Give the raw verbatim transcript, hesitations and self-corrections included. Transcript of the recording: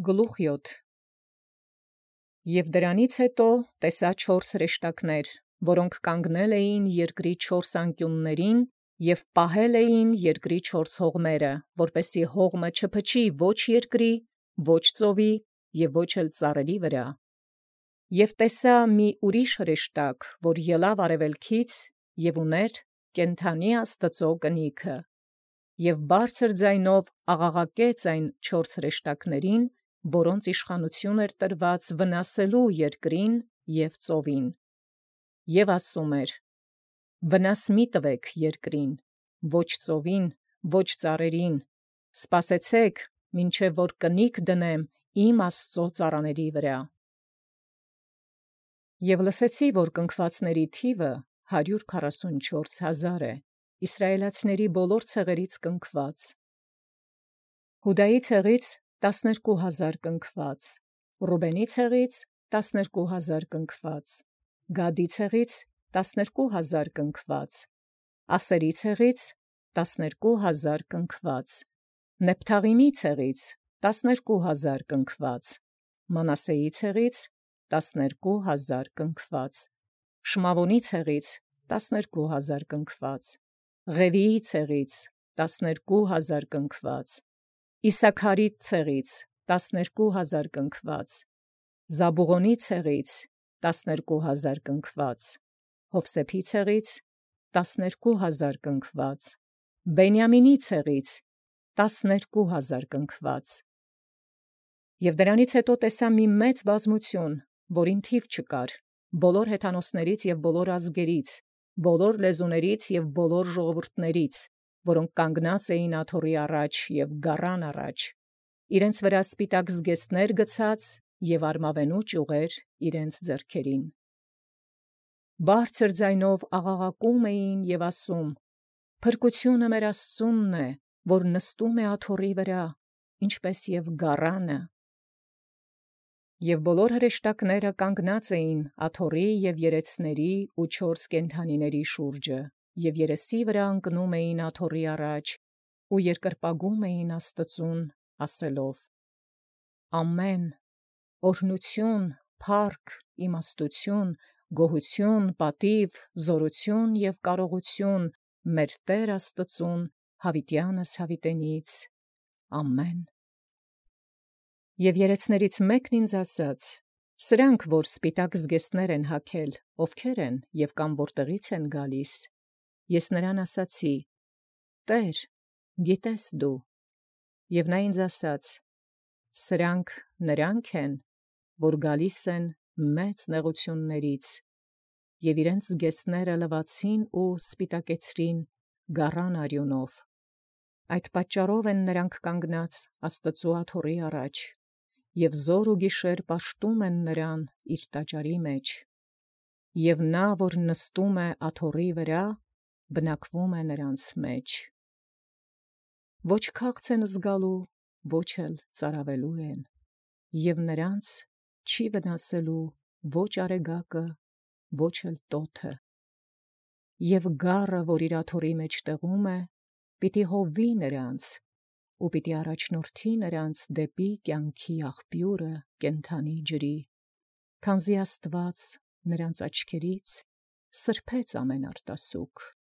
Գլուխ յոթ Եւ դրանից հետո տեսա չորս հրեշտակներ, որոնք կանգնել էին երկրի չորս անկիւններին և պահել էին երկրի չորս հողմերը, որպեսզի հողմը չփչի ոչ երկրի, ոչ ծովի և ոչ էլ ծառերի վրա։ Եւ տեսա մի ուրիշ հրեշտակ, որ ելանէր արևելքից և ունէր կենդանի Աստուծոյ կնիքը, և բարձր ձայնով աղաղակեց այն չորս հրեշտակներին, որոնց իշխանութիւն էր տրուած վնասել երկրին և ծովին, և ասում էր. «Վնաս մի տվեք երկրին, ոչ ծովին, ոչ ծառերին, սպասեցէք, մինչև որ կնիկ դնեմ իմ Աստուծոյ ծառաների վրա»։ Եւ լսեցի, որ կնքուածացն թիվը հարյուր քառասունչորս հազար է, Իսրայէլացիների բոլոր ցեղեաց կնքուած. Յուդայի ցեղից տասներկու հազար կնքուած, Ռուբենի ցեղից տասներկու հազար կնքուած, Գադի ցեղից տասներկու հազար կնքուած, Ասերի ցեղից տասներկու հազար կնքուած, Նեփթաղիմի ցեղից տասներկու հազար կնքուած, Մանասեի ցեղից տասներկու հազար կնքուած, Շմաւոնի ցեղից տասներկու հազար կնքուած, Ղևիի ցեղից տասներկու հազար կնքուած, Իսաքարի ցեղից տասներկու հազար կնքուած, Զաբուղոնի ցեղից տասներկու հազար կնքուած, Յովսեփի ցեղից տասներկու հազար կնքուած, Բենիամինի ցեղից տասներկու հազար կնքուած։ Եւ դրանից հետո տեսայ մի մեծ բազմութիւն, որին թիվ չկար, բոլոր հեթանոսաց և բոլոր ազգաց, բոլոր լեզուաց և բոլոր ժողովուրդաց, որոնք կանգնած էին աթոռոյ առաջ և գառան առաջ, իրենց վրա սպիտակ զգեստներ գցած և արմավենու ճիւղեր իրենց ձեռքերին։ Բարձր ձայնով աղաղակում էին և ասում. «Փրկութիւնը մեր Աստուծոյ է, որ նստում է աթոռոյ վրա, ինչպէս և գառանը»։ Եւ բոլոր հրեշտակները կանգնած էին աթոռոյ և երեցաց ու չորս կենդանիցն շուրջը, և երեսին վրա ընկնում էին աթոռոյ առաջ ու երկրպագում էին Աստուծոյ, ասելով. «Ամէն. օրհնութիւն, փառք, իմաստութիւն, գոհութիւն, պատիւ, զօրութիւն և կարողութիւն մեր Տէր Աստուծոյ յաւիտեանս յաւիտենից. ամէն»։ Եւ երեցաց մէկն ինձ ասաց. «Սրանք, որ սպիտակ զգեստներ են հագել, ովքե՞ր են և կամ յորտեղի՞ց են գալիս»։ Ես նրան ասացի. «Տէր, գիտես դու»։ Եւ նորա ինձ ասաց. «Սրանք նոցա են, որ գալիս են մեծ նեղութիւնացն, և իրենց զգեստները լուացին ու սպիտակեցրին գառան արիւնով. այդ պատճառով են նոցա կանգնած Աստուծոյ աթոռոյ առաջ, և զօր և գիշեր պաշտում են նոցա իւր տաճարի մեջ. և նա, որ նստում է աթոռոյ վրա, բնակվում է նոցա մեջ. ոչ քաղց են զգալու, ոչ էլ ծարաւելու են, և նոցա չի վնասելու ոչ արեգակը, ոչ էլ տօթը. և գառը, որ իւր աթոռոյ մէջտեղում է, պիտի հովվի նոցա, ու պիտի առաջնորդի նոցա դեպի կենացն աղբիւրը կենդանի ջրի, քանզի Աստուած նոցա աչքերից սրբեց ամեն արտասուք։